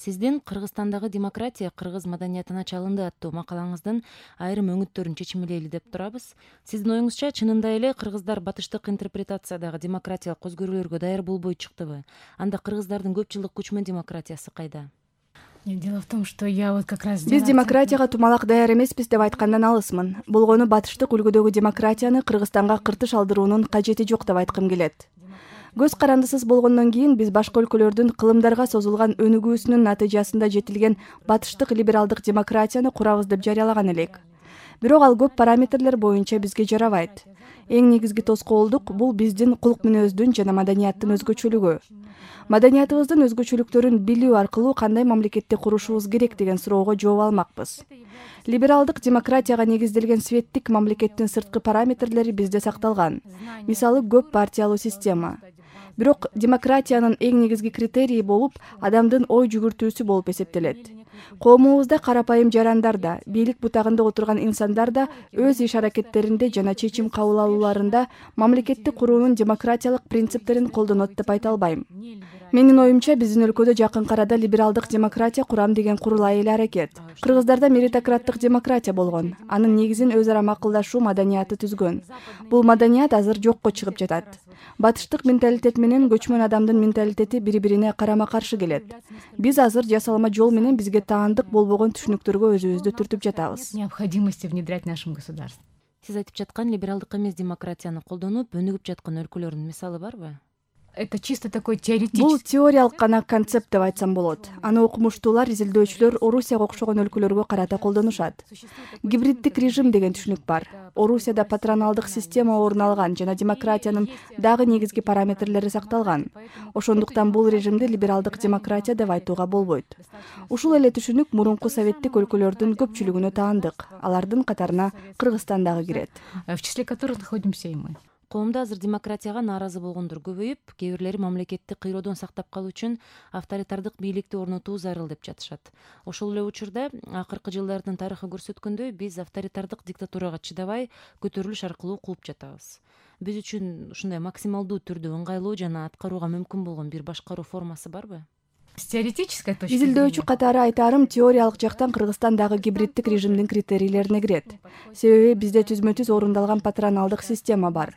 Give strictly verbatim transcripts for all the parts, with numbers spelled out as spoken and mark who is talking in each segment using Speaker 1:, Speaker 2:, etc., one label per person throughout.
Speaker 1: Сиздин Кыргызстандагы демократия кыргыз маданиятына чалынды аттуу макалаңыздын айрым өңүттөрүн чечимилейли деп турабыз. Сиздин оюңузча чынында эле кыргыздар батыштык интерпретациядагы демократиялык көзкөрүүлөргө даяр болбой чыктыбы? Анда кыргыздардын көп жылдык көчмөн демократиясы кайда?
Speaker 2: Дело в том, что я вот как раз...
Speaker 3: Биз демократияга тумалак даяр эмеспиз деп айткандан алысмын. Болгону батыштык үлгүдөгү демократияны Кыргызстанга кыртыш алдыруунун кажети жок деп айткым келет. Көз карандысыз болгондон кийин биз башка өлкөлөрдүн кылымдарга созулган өнүгүүсүнүн натыйжасында жетилген батыштык либералдык демократияны курабыз деп жарыялаган элек. Бирок ал көп параметрлер боюнча бизге жарабайт. Эң негизги тоскоолдук бул биздин кулк мүнөздүн жана маданияттын өзгөчөлүгү. Маданиятыбыздын өзгөчөлүктөрүн билүү аркылуу кандай мамлекетти курушубуз керек деген суроого жооп алмакпыз. Либералдык демократияга негизделген светтик мамлекеттин сырткы параметрлери бизде сакталган. Мисалы, көп партиялуу система. Бирок демократиянын эң негизги критерийи болуп адамдын ой жүгүртүүсү болуп эсептелет. Коомубузда карапайым жарандар да, бийлик бутагында отурган инсандар да өз иш аракеттеринде жана чечим кабыл алууларында мамлекетти куруунун демократиялык принциптерин колдонот деп айта албайм. Менин оюмча биздин өлкөдө жакынкы арада либералдык демократия курам деген курулай эле аракет. Кыргыздарда меритократтык демократия болгон. Анын негизин өз ара макулдашуу маданияты түзгөн. Бул маданият азыр жокко чыгып жатат. Батыштык менталитет менен көчмөн адамдын менталитети бири-бирине карама-каршы келет. Биз азыр жасалма жол менен бизге таандык болбогон түшүнүктөргө өзүбүздү түртүп жатабыз.
Speaker 2: Необходимости внедрять в нашем государстве.
Speaker 1: Сиз айтып жаткан либералдык эмес демократияны колдонуп өнүгүп жаткан өлкөлөрдүн мисалы барбы?
Speaker 2: Это чисто такой теоретический.
Speaker 3: Бул теориялык гана концепт деп айтсам болот. Аны окумуштуулар, изилдөөчүлөр Орусияга окшогон өлкөлөргө карата колдонушат. Гибриддик режим деген түшүнүк бар. Орусияда патроналдык система орун алган жана демократиянын дагы негизги параметрлери сакталган. Ошондуктан бул режимди либералдык демократия деп айтууга болбойт. Ушул эле түшүнүк мурунку советтик өлкөлөрдүн көпчүлүгүнө таандык. Алардын катарына Кыргызстан дагы кирет.
Speaker 2: В числе которых находимся и мы.
Speaker 1: Коомдо азыр демократияга нааразы болгондор көбөйүп, кээ бирлери мамлекетти кыйроодон сактап калуу үчүн авторитардык бийликти орнотуу зарыл деп жатышат. Ошол эле учурда акыркы жылдардын тарыхы көрсөткөндөй, биз авторитардык диктатурага чыдабай көтөрүлүш аркылуу кууп жатабыз. Биз үчүн ушундай максималдуу түрдө ыңгайлуу жана аткарууга мүмкүн болгон бир башкаруу формасы барбы?
Speaker 2: С теоретической точки зрения.
Speaker 3: Изилдөөчү катары айтаарым, теориялык жактан Кыргызстан дагы гибриддик режимдин критерийлерине кирет. Себеби бизде түзмө-түз орундалган патроналдык система бар.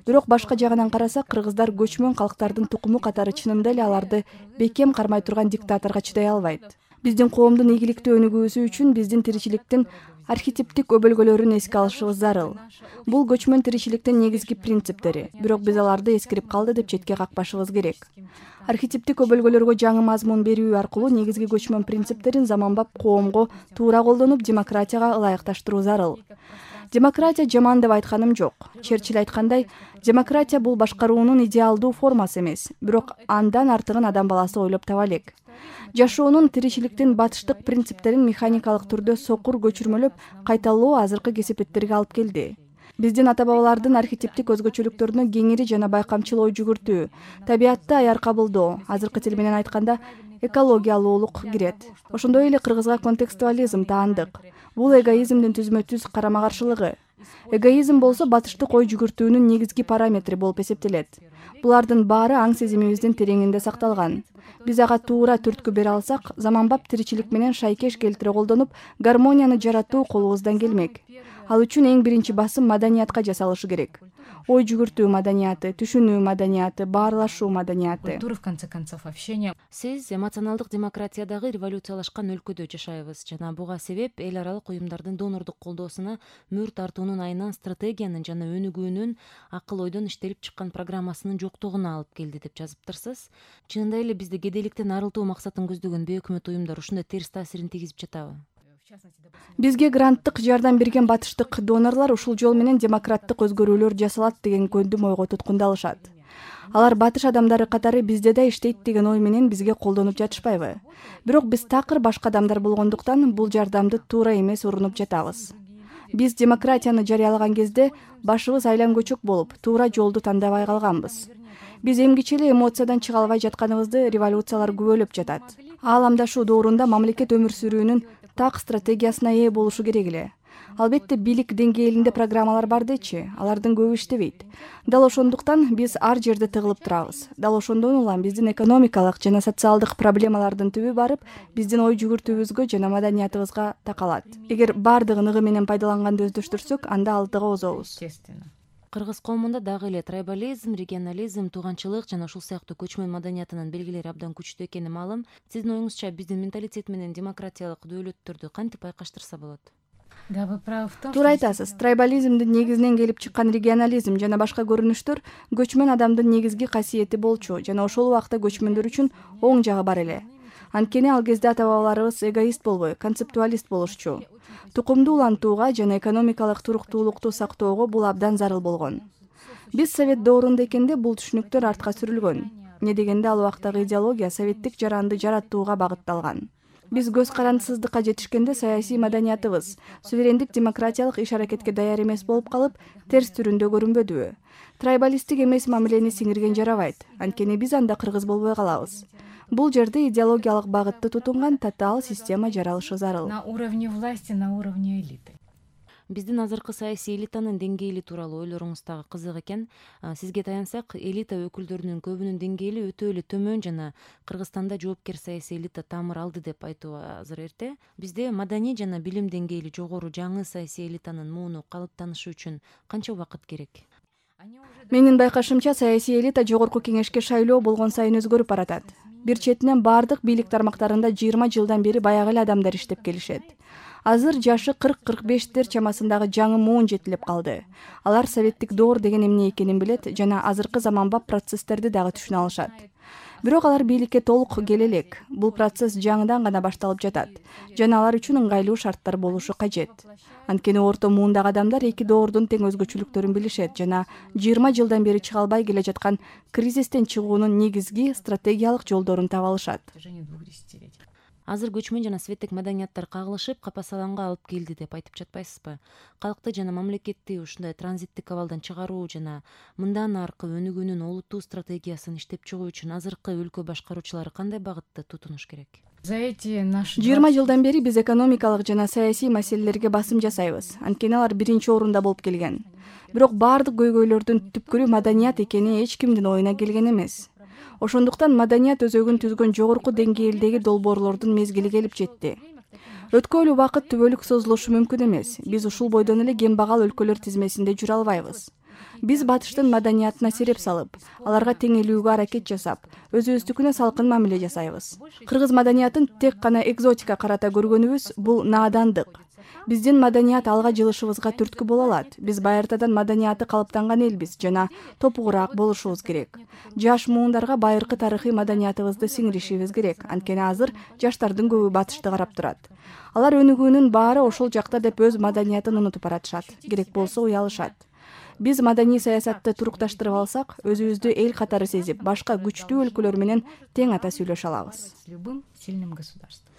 Speaker 3: Бирок башка жагынан карасак, кыргыздар көчмөн калктардын тукуму катары чынында эле аларды бекем кармай турган диктаторго чыдай албайт. Биздин коомдун ийгиликтүү өнүгүүсү үчүн биздин тиричиликтин архетиптик өбөлгөлөрүн эске алышыбыз зарыл. Бул көчмөн тиричиликтин негизги принциптери, бирок биз аларды эскирип калды деп четке какпашыбыз керек. Архетиптик өбөлгөлөргө жаңы мазмун берүү аркылуу негизги көчмөн принциптерин заманбап коомго туура колдонуп, демократияга ылайыкташтыруу зарыл. Демократия жаман деп айтканым жок. Черчилль айткандай, демократия бул башкаруунун идеалдуу формасы эмес, бирок андан артыгын адам баласы ойлоп таба элек. Жашоонун, тиричиликтин батыштык принциптерин механикалык түрдө сокур көчүрмөлөп кайталоо азыркы кесепеттерге алып келди. Биздин ата-бабалардын архетиптик өзгөчөлүктөрүнө кеңири жана байкамчыл ой жүгүртүү, табиятты аяр кабылдоо, азыркы тил менен айтканда экологиялуулук кирет. Ошондой эле кыргызга контекстуализм таандык. Бул эгоизмдин түзмө-түз карама-каршылыгы. Эгоизм болсо батыштык ой жүгүртүүнүн негизги параметри болуп эсептелет. Булардын баары аң сезимибиздин тереңинде сакталган. Биз ага туура түрткү бере алсак, заманбап тиричилик менен шайкеш келтире колдонуп, гармонияны жаратуу колубуздан келмек. Ал үчүн эң биринчи басым маданиятка жасалышы керек. Ой жүгүртүү маданияты, түшүнүү маданияты, баарлашуу маданияты.
Speaker 2: Культура, в конце концов, общение.
Speaker 1: Сиз эмоционалдык демократиядагы революциялашкан өлкөдө жашайбыз жана буга себеп эл аралык уюмдардын донордук колдоосуна мөр тартуунун айынан стратегиянын жана өнүгүүнүн акыл ойдон иштелип чыккан программасынын жоктугуна алып келди деп жазыптырсыз. Чынында эле бизде кедейликтен арылтуу максатын көздөгөн бейөкмөт уюмдар ушундай терс таасирин тийгизип жатабы?
Speaker 3: Бизге гранттык жардам берген батыштык донорлор ушул жол менен демократтык өзгөрүүлөр жасалат деген көндүм ойго туткундалышат. Алар батыш адамдары катары бизде да иштейт деген ой менен бизге колдонуп жатышпайбы? Бирок биз такыр башка адамдар болгондуктан бул жардамды туура эмес урунуп жатабыз. Биз демократияны жарыялаган кезде башыбыз айлам көчөк болуп, туура жолду тандабай калганбыз. Биз эмгиче эле эмоциядан чыга албай жатканыбызды революциялар күбөлөп жатат. Ааламдашуу доорунда мамлекет өмүр сүрүүнүн так стратегиясына ээ болушу керек эле. Албетте бийлик деңгээлинде программалар бар дечи, алардын көбү иштебейт. Дал ошондуктан биз ар жерде тыгылып турабыз. Дал ошондон улам биздин экономикалык жана социалдык проблемалардын түбү барып, биздин ой жүгүртүүбүзгө жана маданиятыбызга такалат. Эгер бардыгын ыгы менен пайдаланганды өздөштүрсөк, анда алдыга озобуз.
Speaker 1: Кыргыз коомунда дагы эле трайбализм, регионализм, тууганчылык жана ушул сыяктуу көчмөн маданиятынын белгилери абдан күчтүү экени маалым. Сиздин оюңузча биздин менталитет менен демократиялык дөөлөттөрдү кантип байкаштырса болот?
Speaker 2: Да, вы правы в том,
Speaker 3: Туура айтасыз. Трайбализмдин негизинен келип чыккан регионализм жана башка көрүнүштөр көчмөн адамдын негизги касиети болчу жана ошол убакта көчмөндөр үчүн оң жагы бар эле. Анткени ал кезде ата-бабаларыбыз эгоист болбой, концептуалист болушчу. Тукумду улантууга жана экономикалык туруктуулукту сактоого бул абдан зарыл болгон. Биз совет доорунда экенде бул түшүнүктөр артка сүрүлгөн. Эмне дегенде ал убактагы идеология советтик жаранды жараттууга багытталган. Биз көз карандысыздыкка жетишкенде саясий маданиятыбыз суверендик демократиялык иш-аракетке даяр эмес болуп калып, терс түрүндө көрүнбөдүбү? Трайбалисттик эмес мамилени сиңирген жарабайт, анткени биз анда кыргыз болбой калабыз. Бул жерде идеологиялык багытты тутунган татаал система жаралышы зарыл.
Speaker 2: На уровне власти, на уровне элиты.
Speaker 1: Биздин азыркы саясий элитанын деңгээли тууралуу ойлоруңуз дагы кызык экен. Сизге таянсак, элита өкүлдөрүнүн көбүнүн деңгээли өтө эле төмөн жана Кыргызстанда жоопкер саясий элита тамыр алды деп айтуу азыр эрте. Бизде маданий жана билим деңгээли жогору жаңы саясий элитанын мууну калыптанышы үчүн канча убакыт керек?
Speaker 3: Менин байкашымча, саясий элита жогорку кеңешке шайлоо болгон сайын өзгөрүп баратат. Бир четинен бардык бийлик тармактарында жыйырма жылдан бери баягы эле адамдар иштеп келишет. Азыр жашы кырк кырк бештер чамасындагы жаңы муун жетилип калды. Алар советтик доор деген эмне экенин билет жана азыркы заманбап процесстерди дагы түшүнө алышат. Бирок алар бийликке толук келе элек. Бул процесс жаңыдан гана башталып жатат жана алар үчүн ыңгайлуу шарттар болушу кажет. Анткени орто муундагы адамдар эки доордун тең өзгөчөлүктөрүн билишет жана жыйырма жылдан бери чыга албай келе жаткан кризистен чыгуунун негизги стратегиялык жолдорун таба алышат.
Speaker 1: Азыр көчмөн жана светтик маданияттар кагылышып, капасаланга алып келди деп айтып жатпайсызбы? Калкты жана мамлекетти ушундай транзиттик абалдан чыгаруу жана мындан аркы өнүгүүнүн олуттуу стратегиясын иштеп чыгуу үчүн азыркы өлкө башкаруучулары кандай багытты тутунуш керек?
Speaker 2: За эти наши
Speaker 3: жыйырма жылдан бери биз экономикалык жана саясий маселелерге басым жасайбыз. Анткени алар биринчи орунда болуп келген. Бирок бардык көйгөйлөрдүн түпкүрү маданият экени эч кимдин оюна келген эмес. Ошондуктан маданият өзөгүн түзгөн жогорку деңгээлдеги долбоорлордун мезгили келип жетти. Өткөн убакыт түбөлүк созулушу мүмкүн эмес. Биз ушул бойдон эле кембагал өлкөлөр тизмесинде жүрө албайбыз. Биз батыштын маданиятына сереп салып, аларга теңелүүгө аракет жасап, өзүбүздүкүнө салкын мамиле жасайбыз. Кыргыз маданиятын тек гана экзотика карата көргөнүбүз бул наадандык. Биздин маданият алга жылышыбызга түрткү боло алат. Биз байыртадан маданияты калыптанган элбиз жана топугураак болушубуз керек. Жаш муундарга байыркы тарыхый маданиятыбызды сиңиришибиз керек. Анткени азыр жаштардын көбү батышты карап турат. Алар өнүгүүнүн баары ошол жакта деп өз маданиятын унутуп баратышат. Керек болсо уялышат. Биз маданий саясатты турукташтырып алсак, өзүбүздү эл катары сезип, башка күчтүү өлкөлөр менен тең ата сүйлөшө алабыз.
Speaker 2: С любым сильным государством.